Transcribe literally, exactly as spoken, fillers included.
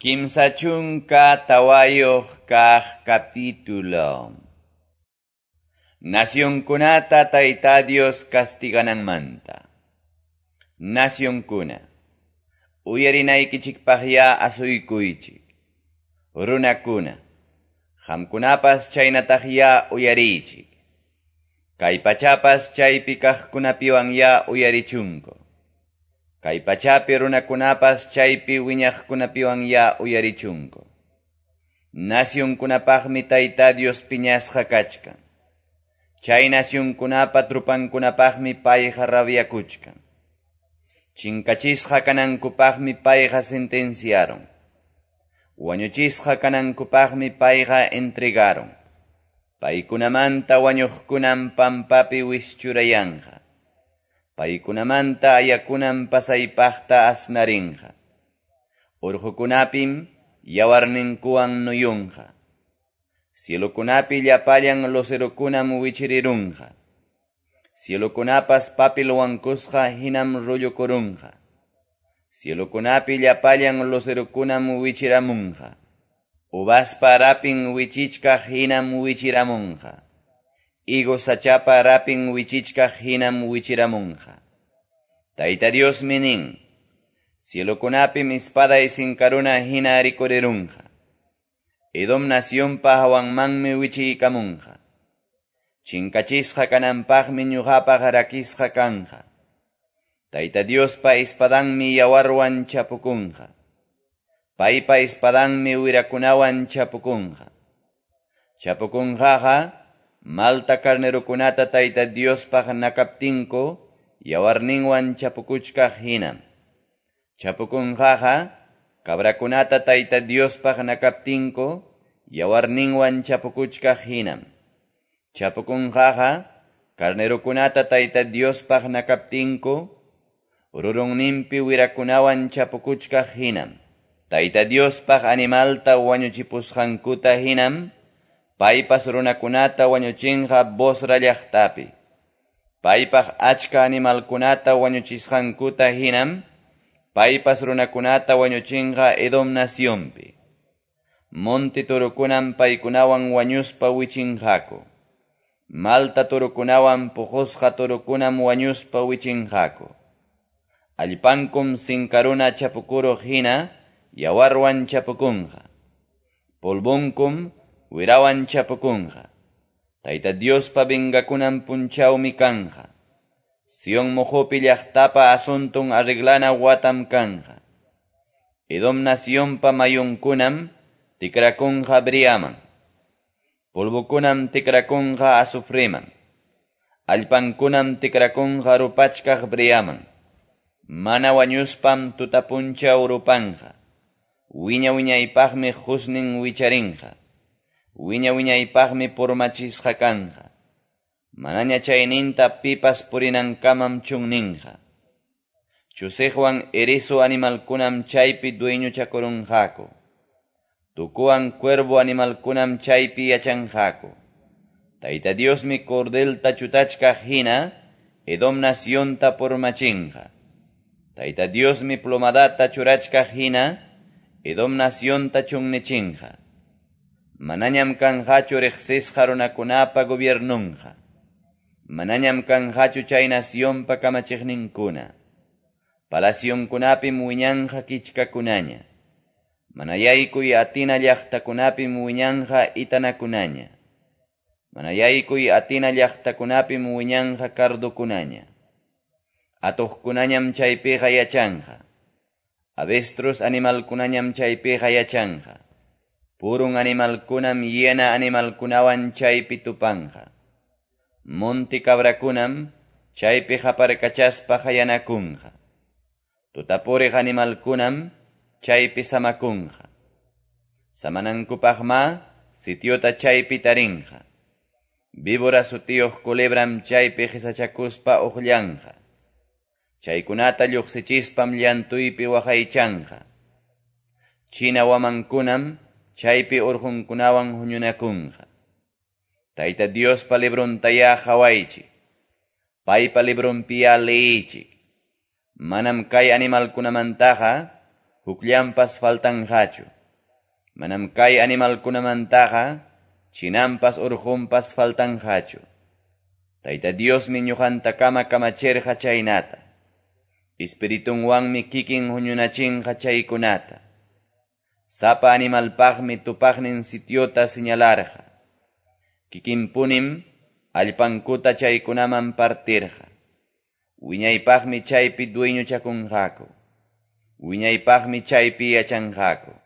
Kimsa chunka tawayuq kaq capítulo. Nacionkunata Tayta Dios castigananmanta. Nacionkuna, uyarinaykichikpaqya asuykuychik. Runakuna, qamkunapas chaynataqya uyariychik. Kay pachapas chaypi kaqkunapiwanya uyarichunku. Kay pachapi runakunapas chaypi wiñaqkunapiwanya uyarichunku. Nacionkunapaqmi Tayta Dios piñasqa kachkan. Chay nacionkunapa trupankunapaqmi payqa rabiakuchkan. Chinkachisqa kanankupaqmi payqa sentenciaron. Wañuchisqa kanankupaqmi payqa entregaron. Paykunamanta wañuqkunam pampapi wischurayanqa. Paykunamanta ayakunam pasaypaqta asnarinqa. Urqukunapim yawarninkuwan nuyunqa. Cielokunapi llapallan lucerokunam wichirirunqa. Cielokunapas papil wankusqa hinam rullukurunqa. Cielokunapi llapallan lucerokunam wichiramunqa. Uvaspa rapin wichichkaq hinam wichiramunqa. Higo sachapa rapin wichichkaq hinam wichiramunqa. Tayta Diosmi nin, cielokunapim espaday sinkaruna hina rikurirunqa. Edom nacionpa hawanmanmi wichiykamunqa. Chinkachisqa kananpaqmi ñuqapaq rakisqa kanqa. Tayta Diospa espadanmi yawarwan chapukunqa. Paypa espadanmi wirakunawan chapukunqa. Chapukunqaqa malta carnerokunata Tayta Diospaq nakaptinku yawarninwan chapukuchkaq hinam. Chapukunqaqa cabrakunata Tayta Diospaq nakaptinku yawarninwan chapukuchkaq hinam. Chapukunqaqa carnerokunata Tayta Diospaq nakaptinku rurunninpi wirakunawan chapukuchkaq hinam. Tayta Diospaq animalta wañuchipusqankuta hinam paypas runakunata wañuchinqa Bosra llaqtapi. Paypaq achka animalkunata wañuchisqankuta hinam paypas runakunata wañuchinqa Edom nacionpi. Monte turukunam paykunawan wañuspa wichinqaku. Malta turukunawan puqusqa turukunam wañuspa wichinqaku. Allpankum sinkaruna chapukuruq hina yawarwan chapukunqa. Polvonkum wirawan chapukunqa. Tayta Diospa vengakunan punchawmi kanqa. Sion mojopi llaqtapa asuntun arreglana watam kanqa. Edom nacionpa mayunkunam tikrakunqa briaman. Polvokunam tikrakunqa azufreman. Allpankunam tikrakunqa rupachkaq briaman. Mana wañuspam tutapunchaw rupanqa. Wiña wiñaypaqmi husnin wicharinqa. Wiña wiñaypaqmi purmachisqa kanqa. Manaña chayninta pipas purinankamam chunninqa. Chusiqwan erizo animalkunam chaypi dueñochakurunqaku. Tukuwan cuervo animalkunam chaypi yachanqaku. Tayta Diosmi cordelta chutachkaq hina Edom nacionta purmachinqa. Tayta Diosmi plomadata churachkaq hina Edom nacionta chunnichinqa. Manañam kanqachu riqsisqa runakunapa gobiernunqa. Manañam kanqachu chay nacionpa kamachiqninkuna. Palacionkunapim wiñanqa kichkakunaña. Manayaykuy atina llaqtakunapim wiñanqa itanakunaña. Manayaykuy atina llaqtakunapim wiñanqa cardokunaña. Atuqkunañam chaypiqa yachanqa. Avestruz animalkunañam chaypiqa yachanqa. Purun animalkunam hiena animalkunawan chaypi tupanqa. Monte cabrakunam chaypi qaparkachaspa hayanakunqa. Tutapuriq animalkunam chaypi samakunqa. Samanankupaqma sitiota chaypi tarinqa. Víbora sutiyuq culebram chaypi qisachakuspa uqllanqa. Chaykunata lluqsichispam llantuypi waqaychanqa. China wamankunam chaypi urqunkunawan huñunakunqa. Tayta Diospa librontayá qhawaychik. Paypa libronpiya liychik. Manam kay animalkunamantaqa hukllampas faltanqachu. Manam kay animalkunamantaqa chinanpas urqunpas faltanqachu. Tayta Diosmi ñuqantakama kamachirqa chaynata. Espiritunwanmi kikin huñunachinqa chaykunata. Sapa animalpaqmi tupaqnin sitiota señalarqa. Kikinpunim allpankuta chaykunaman partirqa. Wiñaypaqmi chaypi dueñochakunqaku. Wiñaypaqmi chaypi yachanqaku.